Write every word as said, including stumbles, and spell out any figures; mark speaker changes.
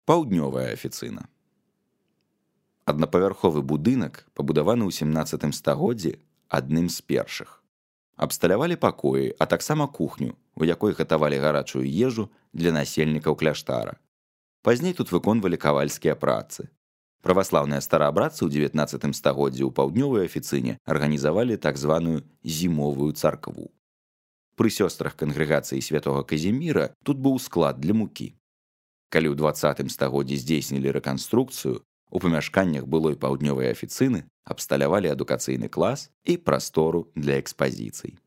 Speaker 1: Паўднёвая афіцына. Аднапавярховы будынак, пабудаваны ў сямнаццатым стагоддзі, адным з першых. Абсталявалі пакоі, а таксама кухню, у якой гатавалі гарачую ежу для насельнікаў кляштара. Пазней тут выконвалі кавальскія працы. Праваслаўныя стараабрадцы ў дзевятнаццатым стагоддзі ў паўднёвай афіцыне арганізавалі так званую зімовую царкву. Пры сёстрах кангрэгацыі святога Казіміра тут быў склад для мукі. Калі ў дваццатым стагоддзі здзейснілі рэканструкцыю, у памяшканнях былой паўднёвай афіцыны абсталявалі адукацыйны клас і прастору для экспазіцый.